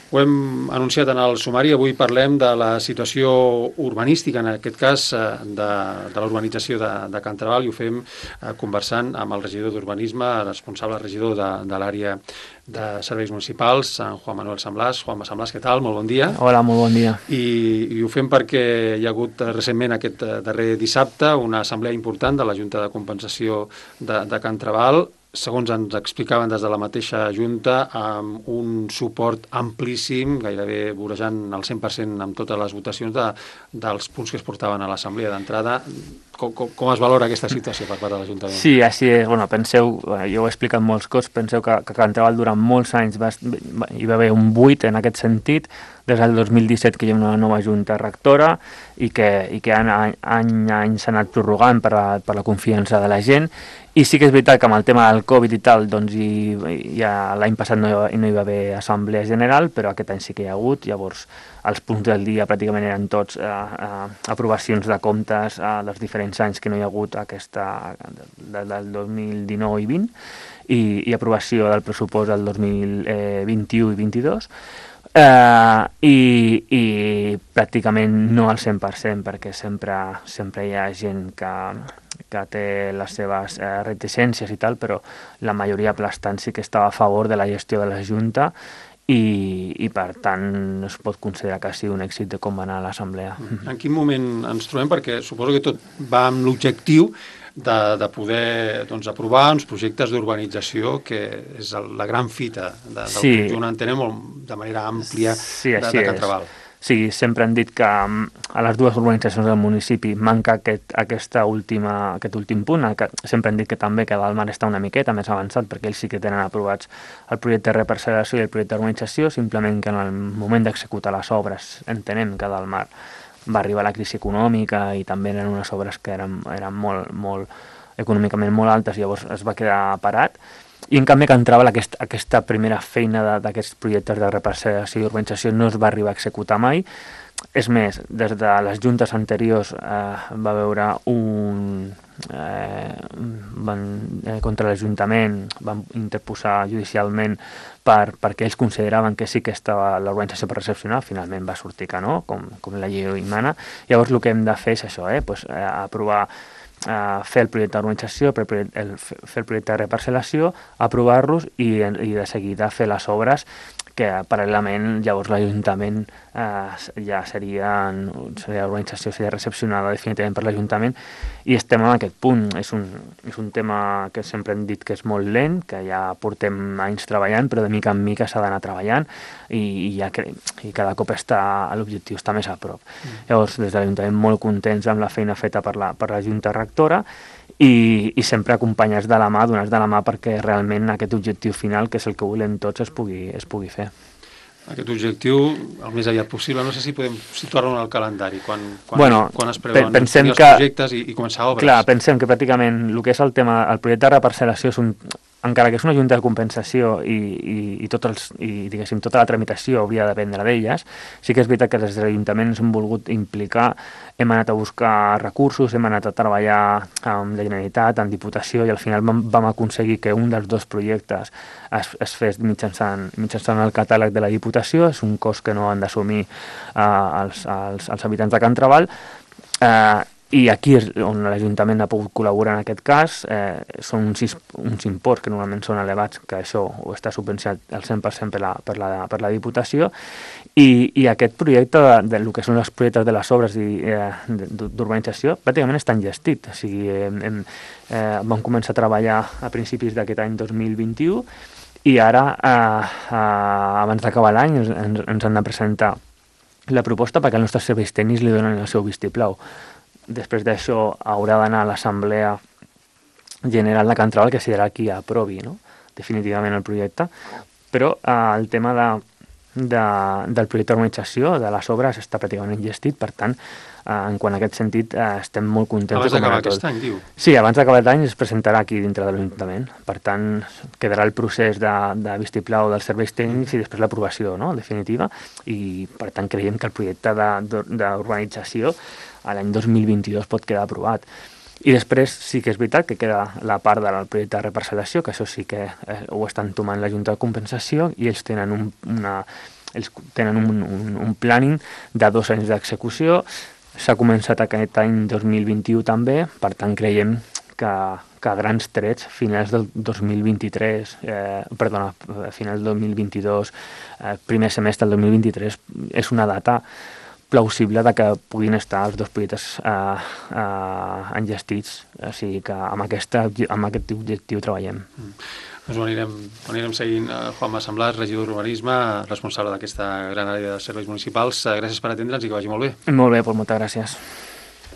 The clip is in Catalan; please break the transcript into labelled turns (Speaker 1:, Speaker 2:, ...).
Speaker 1: Ho hem anunciat en el sumari, avui parlem de la situació urbanística, en aquest cas de la urbanització de Can Trabal, i ho fem conversant amb el regidor d'Urbanisme, responsable regidor de l'àrea de serveis municipals, en Juan Manuel Samblàs. Juanma Samblàs, què tal? Molt bon dia.
Speaker 2: Hola, molt bon dia.
Speaker 1: I ho fem perquè hi ha hagut recentment aquest darrer dissabte una assemblea important de la Junta de Compensació de Can Trabal, segons ens explicaven des de la mateixa Junta, amb un suport amplíssim, gairebé vorejant el 100% amb totes les votacions dels punts que es portaven a l'assemblea d'entrada. Com es valora aquesta situació per part de l'Ajuntament?
Speaker 2: Sí, així és. Bueno, penseu, jo ho he explicat molts cops, penseu que Can Trabal durant molts anys hi va haver un buit en aquest sentit, des del 2017 que hi ha una nova Junta rectora i que any a any s'ha anat prorrogant per la confiança de la gent. I sí que és veritat que amb el tema del Covid i tal, doncs ja l'any passat no hi va haver assemblea general, però aquest any sí que hi ha hagut. Llavors els punts del dia pràcticament eren tots aprovacions de comptes dels diferents anys que no hi ha hagut del 2019 i 20 i aprovació del pressupost del 2021 i 22. I pràcticament no al 100%, perquè sempre hi ha gent que té les seves reticències i tal, però la majoria aplastant sí que estava a favor de la gestió de la Junta i per tant es pot considerar que ha sigut un èxit de com va anar l'assemblea.
Speaker 1: En quin moment ens trobem? Perquè suposo que tot va amb l'objectiu de poder aprovar uns projectes d'urbanització, que és la gran fita del conjunt, entenem de manera àmplia de Can Trabal.
Speaker 2: Sí, sempre han dit que a les dues urbanitzacions del municipi manca aquest últim punt. Sempre han dit que també que Dalmar està una miqueta més avançat, perquè ells sí que tenen aprovats el projecte de reparcel·lació i el projecte d'urbanització, simplement que en el moment d'executar les obres entenem que Dalmar va arribar la crisi econòmica i també eren unes obres que eren molt econòmicament molt altes, llavors es va quedar parat. I en canvi Can Trabal aquesta primera feina d'aquests projectes de reparcel·lació i urbanització no es va arribar a executar mai. És més, des de les juntes anteriors va veure contra l'Ajuntament, van interposar judicialment perquè ells consideraven que sí que estava l'urbanització per recepcionar, finalment va sortir que no, com la llei mana. Llavors el que hem de fer és això, aprovar, fer el projecte d'urbanització, fer el projecte de reparcel·lació, aprovar-los i de seguida fer les obres, que paral·lelament llavors l'Ajuntament ja seria l'urbanització seria recepcionada definitivament per l'Ajuntament, i estem en aquest punt. És un tema que sempre hem dit que és molt lent, que ja portem anys treballant, però de mica en mica s'ha d'anar treballant i cada cop l'objectiu està més a prop. Llavors des de l'Ajuntament molt contents amb la feina feta per la Junta Rectora i sempre acompanyats de la mà, donats de la mà, perquè realment aquest objectiu final, que és el que volem tots, es pugui fer.
Speaker 1: Aquest objectiu, el més aviat possible, no sé si podem situar-lo en el calendari, quan es preveuen els projectes i començar obres.
Speaker 2: Clar, pensem que pràcticament el que és el projecte de reparcel·lació encara que és una junta de compensació i tota la tramitació hauria de dependre d'elles, sí que és veritat que des de l'Ajuntament ens hem volgut implicar, hem anat a buscar recursos, hem anat a treballar amb la Generalitat, amb Diputació, i al final vam aconseguir que un dels dos projectes es fes mitjançant el catàleg de la Diputació. És un cost que no han d'assumir els habitants de Can Trabal, i aquí és on l'Ajuntament ha pogut col·laborar en aquest cas. Són uns imports que normalment són elevats, que això ho està subvencionat al 100% per la Diputació, i aquest projecte del que són els projectes de les obres d'urbanització pràcticament estan gestit. O sigui, vam començar a treballar a principis d'aquest any 2021 i ara, abans d'acabar l'any, ens han de presentar la proposta perquè els nostres serveis tècnics li donen el seu vistiplau. Després d'això haurà d'anar a l'Assemblea General de Can Trabal, que serà qui aprovi definitivament el projecte, però el tema del projecte d'urbanització, de les obres, està pràcticament gestit. Per tant, en quant a aquest sentit, estem molt contents.
Speaker 1: Abans d'acabar aquest any, diu?
Speaker 2: Sí, abans d'acabar l'any es presentarà aquí dintre de l'Ajuntament. Per tant, quedarà el procés de vistiplau dels serveis tècnics i després l'aprovació definitiva, i per tant creiem que el projecte d'urbanització a l'any 2022 pot quedar aprovat. I després sí que és veritat que queda la part del projecte de reparcel·lació, que això sí que ho estan tomant la Junta de Compensació, i ells tenen ells tenen un planning de 2 anys d'execució. S'ha començat aquest any 2021 també, per tant creiem que a grans trets, finals del 2023, finals del 2022, primer semestre del 2023, és una data plausible de que puguin estar els 2 projectes enllestits. O sigui que amb aquest objectiu treballem.
Speaker 1: Doncs ho anirem seguint. Juanma Samblas, regidor d'Urbanisme, responsable d'aquesta gran àrea de serveis municipals. Gràcies per atendre'ns i que vagi molt bé.
Speaker 2: Molt bé, doncs moltes gràcies.